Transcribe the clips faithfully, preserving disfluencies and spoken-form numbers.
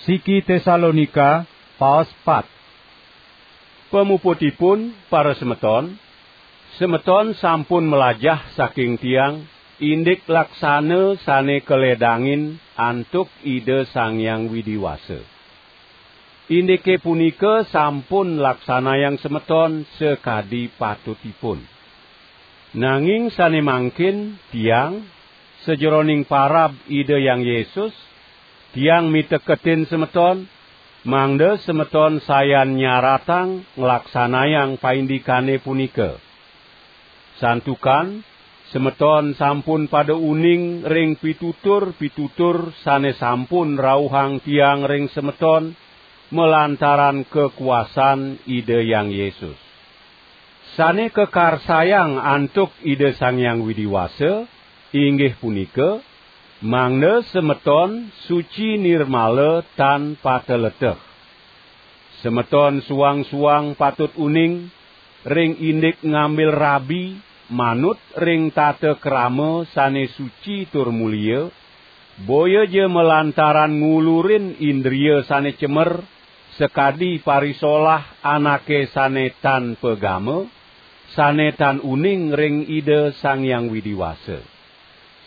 Siki Tesalonika, paos pat. Pamuputipun, para semeton, semeton sampun melajah saking tiang indik laksana sane kaledangin antuk Ida Sang Hyang Widi Wasa. Indike punika sampun laksanayang semeton sakadi patutipun. Nanging sane mangkin tiang, sajeroning parab Ida Hyang Yesus, tiang miteketin semeton, mangda semeton sayan nyaratang nglaksanayang paindikane punika. Santukan semeton sampun pada uning ring pitutur-pitutur sane sampun rauhang tiang ring semeton malantaran kakuasan Ida Hyang Yesus. Sane kakarsayang antuk Ida Sang Hyang Widi Wasa, inggih punika, mangda semeton suci nirmala tan pateleteh. Semeton suang-suang patut uning ring indik ngambil rabi manut ring tata krama sane suci tur mulia, boya ja malantaran ngulurin indria sane cemer, sakadi parisolah anake sane tan pagama, sane tan uning ring Ida Sang Hyang Widi Wasa.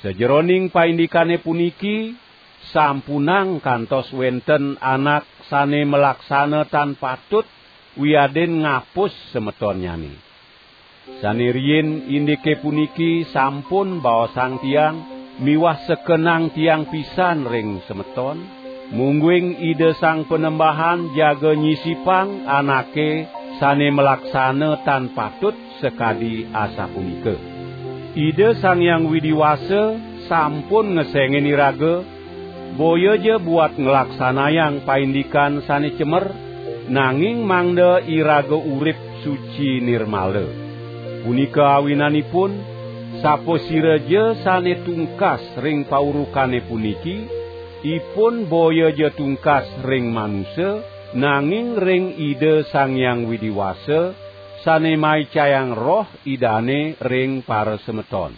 Sajeroning paindikane puniki, sampunang kantos wenten anak sane malaksana tan patut wiadin ngapus semetonnyane. Sane riin indike puniki sampun baosang tiang miwah sekenang tiang pisan ring semeton, mungguing Ida Sang Panembahan jaga nyisipang anake sane malaksana tan patut sakadi asapunika. Ida Sang Hyang Widi Wasa sampun ngesengin iraga, boya ja buat nglaksanayang paindikan sane cemer, nanging mangda iraga urip suci nirmala. Punika awinanipun, sapasiraja sane tungkas ring paurukane puniki, ipun boya ja tungkas ring manusa, nanging ring Ida Sang Hyang Widi Wasa, sane maicayang Roh Idane ring parasemeton.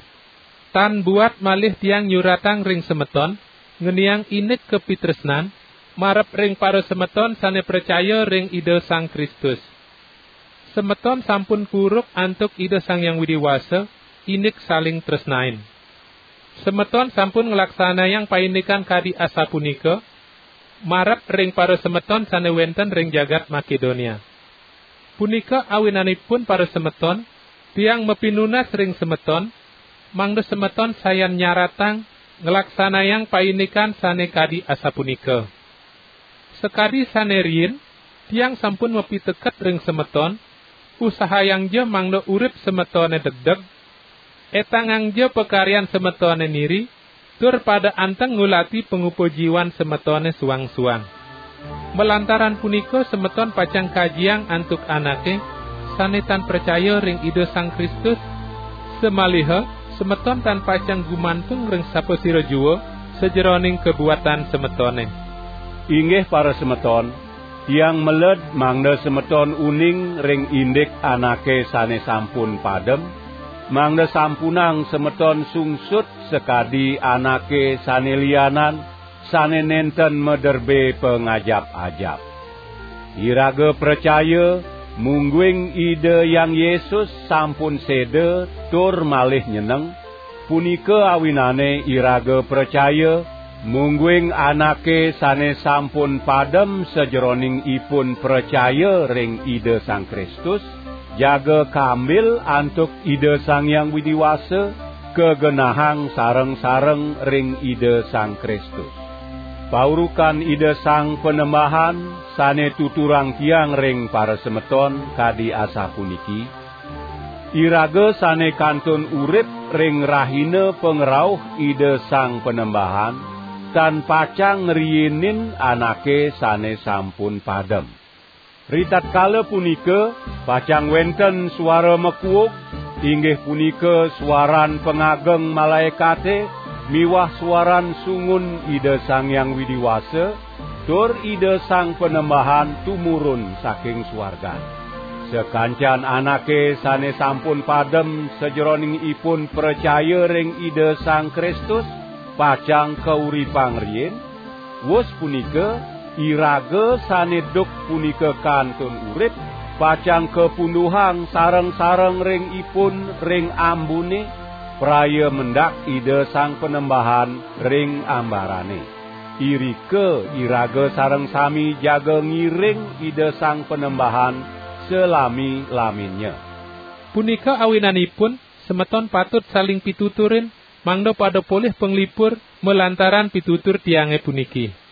Tan buat malih tiang nyuratang ring semeton, ngeniang indik kapitresnan, marep ring parasemeton sane pracaya ring Ida Sang Kristus. Semeton sampun kuruk antuk Ida Sang Hyang Widi Wasa, indik saling tresnain. Semeton sampun nglaksanayang paindikan kadi asapunika, marep ring parasemeton sane wenten ring jagat Makedonia. Punika awinanipun parasemeton, tiang mapinunas ring semeton, mangda semeton sayan nyaratang nglaksanayang paindikan sane kadi asapunika. Sakadi sane riin, tiang sampun mapiteket ring semeton, usahayangja mangda urip semetone degdeg, etangangja pakaryan semetone niri, tur pada anteng ngulati pangupa jiwan semetone suang-suang. Malantaran punika semeton pacang kajiang antuk anake sane tan pracaya ring Ida Sang Kristus, samaliha semeton tan pacang gumantung ring sapasira jua sajeroning kabuatan semetone. Inggih parasemeton, tiang meled mangda semeton uning ring indik anake sane sampun padem, mangda sampunang semeton sungsut sakadi anake sane lianan, sane nenten maderbe pangajap-ajap. Iraga pracaya, mungguing Ida Hyang Yesus sampun seda tur malih nyeneng, punika awinane iraga pracaya, mungguing anake sane sampun padem sajeroning ipun pracaya ring Ida Sang Kristus, jaga kambil antuk Ida Sang Hyang Widi Wasa, kagenahang sareng-sareng ring Ida Sang Kristus. Paurukan Ida Sang Panembahan sane tuturang tiang ring parasemeton kadi asapuniki: Iraga sane kantun urip ring rahina pangrauh Ida Sang Panembahan, tan pacang ngriinin anake sane sampun padem. Ritatkala punika, pacang wenten suara makuug, inggih punika suaran pangageng malaekate miwah suaran sungun Ida Sang Hyang Widi Wasa, tur Ida Sang Panembahan tumurun saking suargan. Sakancan anake sane sampun padem sajeroning ipun pracaya ring Ida Sang Kristus, pacang kauripang riin. Wus punika, Iraga sane duk punika kantun urip, pacang kapunduhang sareng-sareng ring ipun ring ambune, praya mendak Ida Sang Panembahan ring ambarane. Irika iraga sareng sami jaga ngiring Ida Sang Panembahan salami-laminnya. Punika awinanipun, semeton patut saling pituturin, mangda pada polih panglipur malantaran pitutur tiange puniki.